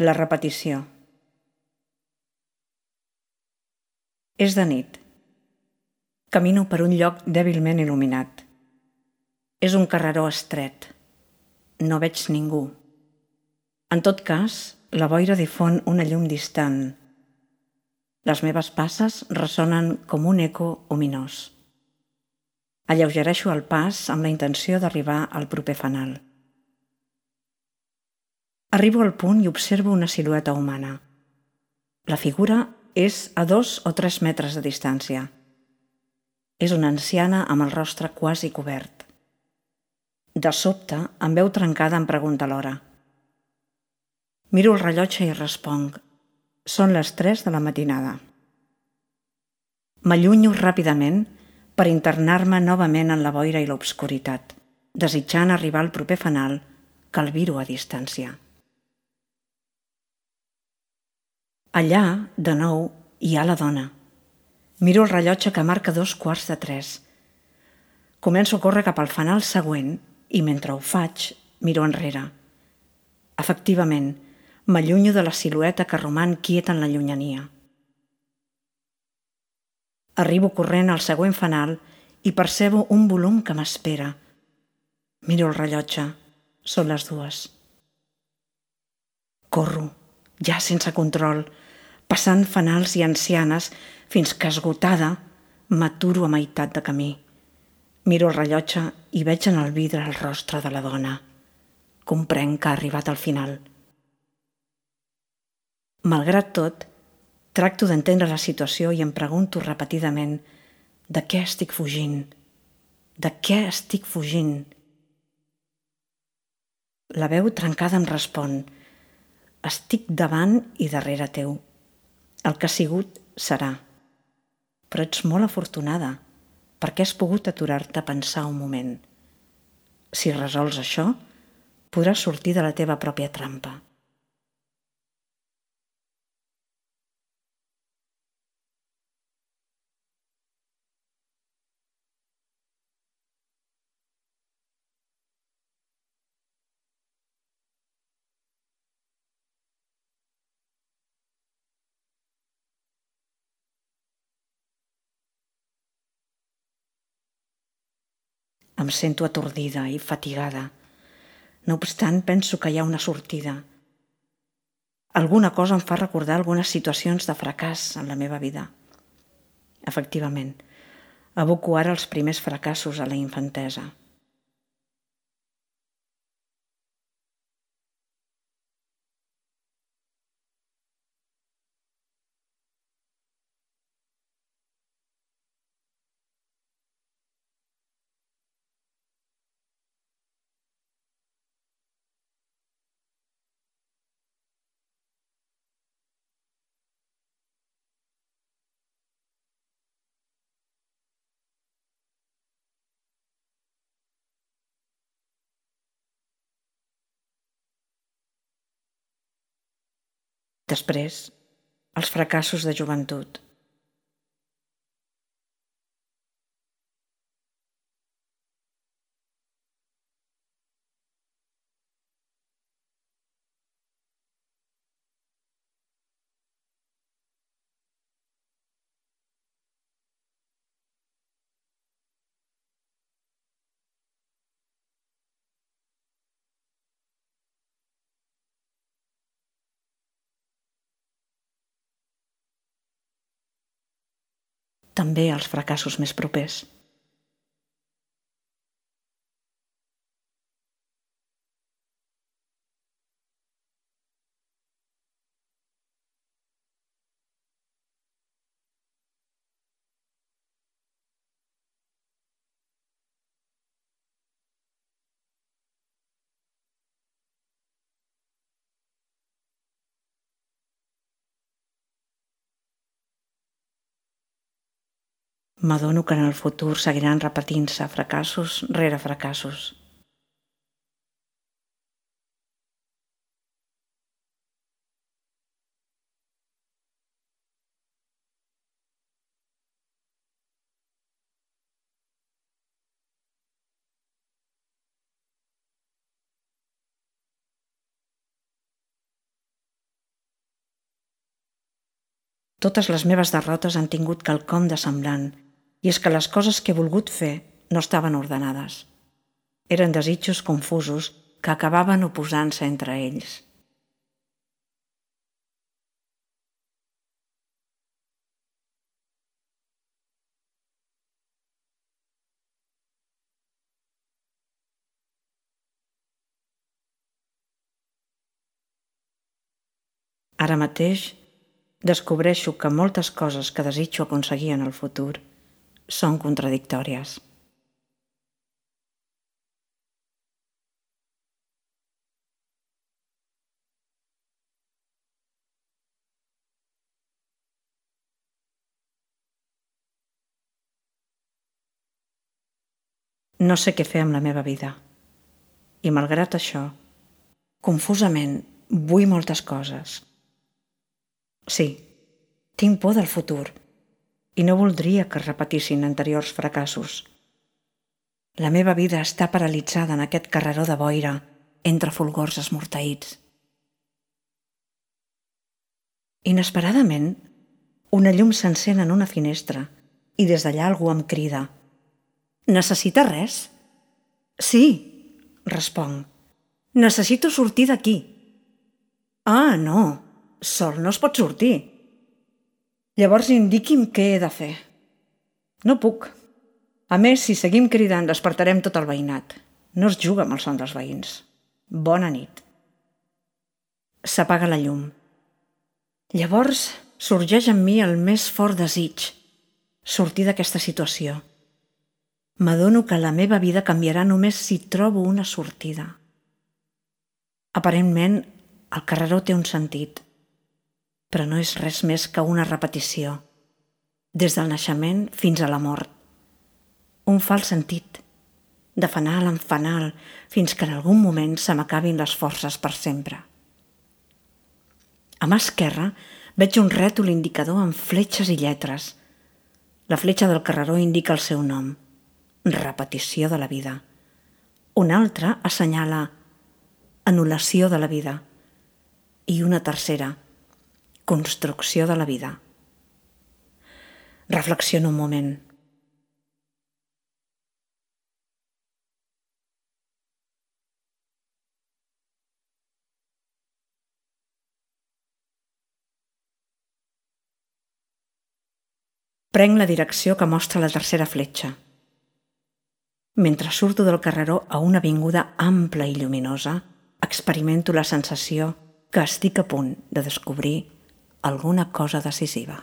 La repetició. És de nit. Camino per un lloc dèbilment il·luminat. És un carreró estret. No veig ningú. En tot cas, la boira difon una llum distant. Les meves passes ressonen com un eco ominós. Alleugereixo el pas amb la intenció d'arribar al proper fanal. Arribo al punt i observo una silueta humana. La figura és a 2 o 3 metres de distància. És una anciana amb el rostre quasi cobert. De sobte, amb veu trencada em pregunta l'hora. Miro el rellotge i responc. Són les 3 de la matinada. M'allunyo ràpidament per internar-me novament en la boira i l'obscuritat, desitjant arribar al proper fanal que el miro a distància. Allà, de nou, hi ha la dona. Miro el rellotge que marca 2:15. Començo a córrer cap al fanal següent i mentre ho faig, miro enrere. Efectivament, m'allunyo de la silueta que roman quieta en la llunyania. Arribo corrent al següent fanal i percebo un volum que m'espera. Miro el rellotge. Són les 2. Corro, ja sense control, passant fanals i ancianes fins que, esgotada, m'aturo a meitat de camí. Miro el rellotge i veig en el vidre el rostre de la dona. Comprenc que ha arribat al final. Malgrat tot, tracto d'entendre la situació i em pregunto repetidament de què estic fugint? De què estic fugint? La veu trencada em respon. Estic davant i darrere teu. El que ha sigut serà. Però ets molt afortunada perquè has pogut aturar-te a pensar un moment. Si resols això, podràs sortir de la teva pròpia trampa. Em sento atordida i fatigada. No obstant, penso que hi ha una sortida. Alguna cosa em fa recordar algunes situacions de fracàs en la meva vida. Efectivament, evoco ara els primers fracassos a la infantesa. Després, els fracassos de joventut. També els fracassos més propers. M'adono que en el futur seguiran repetint-se fracassos rere fracassos. Totes les meves derrotes han tingut quelcom de semblant, i és que les coses que he volgut fer no estaven ordenades. Eren desitjos confusos que acabaven oposant-se entre ells. Ara mateix descobreixo que moltes coses que desitjo aconseguir en el futur són contradictòries. No sé què fer amb la meva vida. I malgrat això, confusament, vull moltes coses. Sí, tinc por del futur i no voldria que es repetissin anteriors fracassos. La meva vida està paralitzada en aquest carreró de boira entre fulgors esmorteïts. Inesperadament, una llum s'encén en una finestra i des d'allà algú em crida: «Necessita res?» «Sí», responc. «Necessito sortir d'aquí». «Ah, no, sol no es pot sortir». «Llavors indiqui'm què he de fer». «No puc. A més, si seguim cridant, despertarem tot el veïnat. No es juga amb el son dels veïns. Bona nit». S'apaga la llum. Llavors sorgeix en mi el més fort desig: sortir d'aquesta situació. M'adono que la meva vida canviarà només si trobo una sortida. Aparentment, el carreró té un sentit, però no és res més que una repetició, des del naixement fins a la mort. Un fals sentit, de fanal en fanal, fins que en algun moment se m'acabin les forces per sempre. A mà esquerra veig un rètol indicador amb fletxes i lletres. La fletxa del carreró indica el seu nom: repetició de la vida. Una altra assenyala anul·lació de la vida. I una tercera, construcció de la vida. Reflexiono un moment. Prenc la direcció que mostra la tercera fletxa. Mentre surto del carreró a una avinguda ampla i lluminosa, experimento la sensació que estic a punt de descobrir alguna cosa decisiva.